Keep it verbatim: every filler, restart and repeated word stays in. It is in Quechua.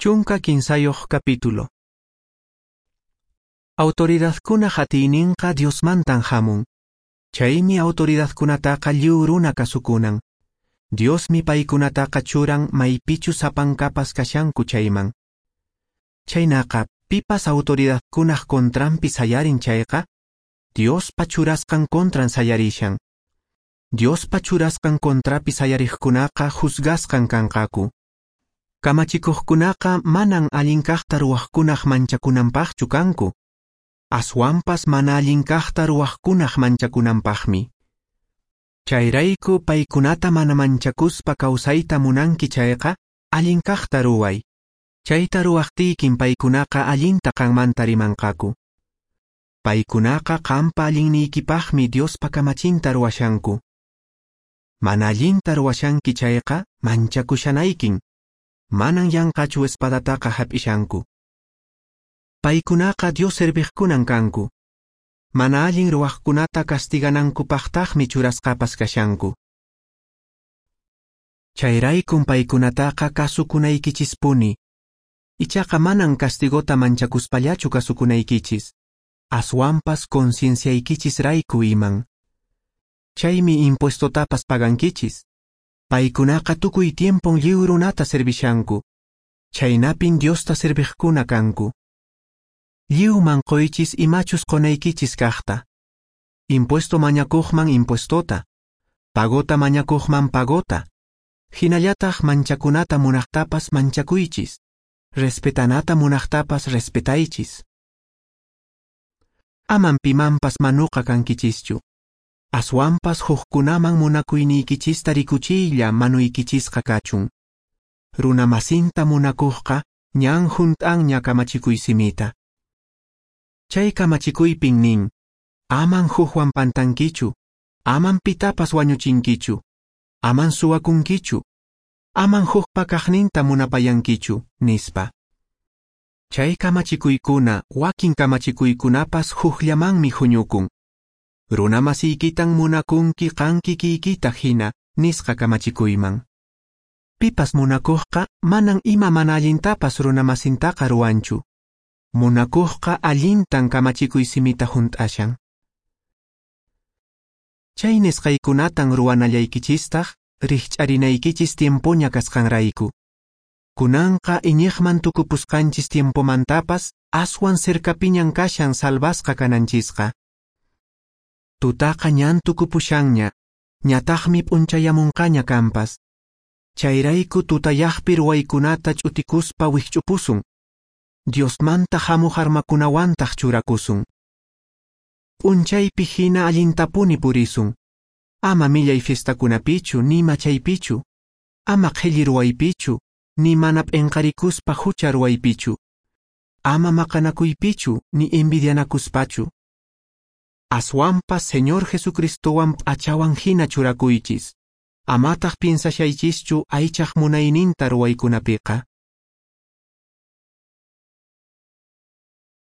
Chunka kinsayoq capítulo. Autoridadkunaq atiyninqa Diosmantan hamun. Chaymi autoridadkunataqa lliw runa kasukunan. Diosmi paykunataqa churan maypichu sapankapas kashanku chayman. Chaynaqa pipas autoridadkunaq contranpi sayarin chayqa, Diospa churasqan contran sayarishan. Diospa churasqan contrapi sayariqkunaqa juzgasqan kanqaku. Kamachikuqkunaqa manan allin kaqta ruwaqkunaq manchakunanpaqchu kanku. Aswanpas mana allin kaqta ruwaqkunaq manchakunanpaqmi. Chayrayku paykunata mana manchakuspa kawsayta munanki chayqa, allin kaqta ruway. Chayta ruwaqtiykin paykunaqa allinta qanmanta rimanqaku. Paykunaqa qampa allinniykipaqmi Diospa kamachinta ruwashanku. Mana allinta ruwashanki chayqa manchakushanaykin. Manan yanqachu espadataqa hap'ishanku. Paykunaqa Dios serviqkunan kanku. Mana allin ruwaqkunata castiganankupaqtaqmi churasqapas kashanku. Chayraykun paykunataqa kasukunaykichispuni. Ichaqa manan castigota manchakuspallachu kasukunaykichis. Aswanpas concienciaykichisrayku iman. Chaymi impuestotapas pagankichis. Paykunaqa tukuy tiempon lliw runata servishanku. Chaynapin Diosta serviqkuna kanku. Lliwman qoychis imachus qonaykichis kaqta. Impuesto mañakuqman impuestota. Pagota mañakuqman pagota. Hinallataq manchakunata munaqtapas manchakuychis. Respetanata munaqtapas respetaychis. Aman pimanpas manuqa kankichischu. Aswanpas hukkunaman munakuyniykichista rikuchiylla manuykichisqa kachun. Runa masinta munakuqqa ñan hunt'anña kamachikuy simita. Chay kamachikuypin nin, aman hukwan pantankichu, aman pitapas wañuchinkichu, aman suwakunkichu, aman hukpa kaqninta munapayankichu, nispa. Chay kamachikuykuna, wakin kamachikuykunapas hukllamanmi huñukun. Runa masiykitan munakunki qan kikiykita hina, nisqa kamachikuyman. Pipas munakuqqa manan ima mana allintapas runa masintaqa ruwanchu. Munakuqqa allintan kamachikuy simita hunt'ashan. Chay nisqaykunatan ruwanallaykichistaq rikch'arinaykichis tiempoña kasqanrayku. Kunanqa iñiqman tukupusqanchis tiempomantapas aswan cercapiñan kashan salvasqa kananchisqa. Tutaqa ñan tukupushanña, ñataqmi p'unchayamunqaña kanpas. Chayrayku tutayaqpi ruwaykunata ch'utikuspa wikch'upusun. Diosmanta hamuq armakunawantaq churakusun. P'unchaypi hina allintapuni purisun. Ama millay fiestakunapichu ni machaypichu. Ama qhelli ruwaypichu, ni mana p'inqarikuspa hucha ruwaypichu. Ama maqanakuypichu ni envidianakuspachu. Aswanpas Señor Jesucristowan p'achawan hina churakuychis. Amataq piensashaychischu aychaq munayninta ruwaykunapiqa.